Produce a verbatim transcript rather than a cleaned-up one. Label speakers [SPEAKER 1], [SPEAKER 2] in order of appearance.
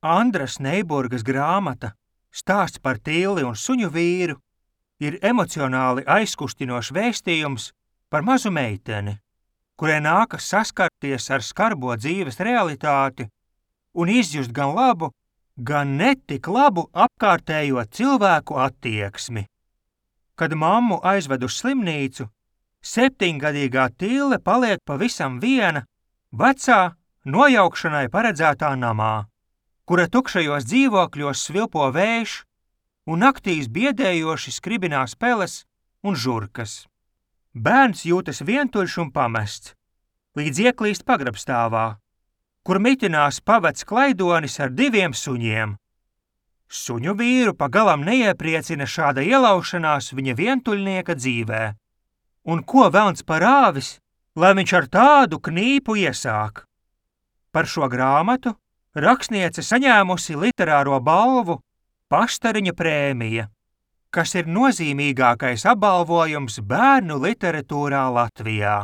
[SPEAKER 1] Andras Neiburgas grāmata Stāsts par Tilli un suņu vīru ir emocionāli aizkustinošs vēstījums par mazu meiteni, kurai nākas saskarties ar skarbo dzīves realitāti un izjust gan labu, gan netik labu apkārtējo cilvēku attieksmi. Kad mammu aizved uz slimnīcu, septiņgadīgā Tille paliek pavisam viena vecā, nojaukšanai paredzētā namā, kura tukšajos dzīvokļos svilpo vējš un naktīs biedējoši skribinās peles un žurkas. Bērns jūtas vientuļš un pamests, līdz ieklīst pagrabstāvā, kur mitinās pavecs klaidonis ar diviem suņiem. Suņu vīru pagalam neiepriecina šāda ielaušanās viņa vientuļnieka dzīvē. Un ko velns parāvis, lai viņš ar tādu knīpu iesāk? Par šo grāmatu rakstniece saņēmusi literāro balvu Paštariņa prēmija, kas ir nozīmīgākais apbalvojums bērnu literatūrā Latvijā.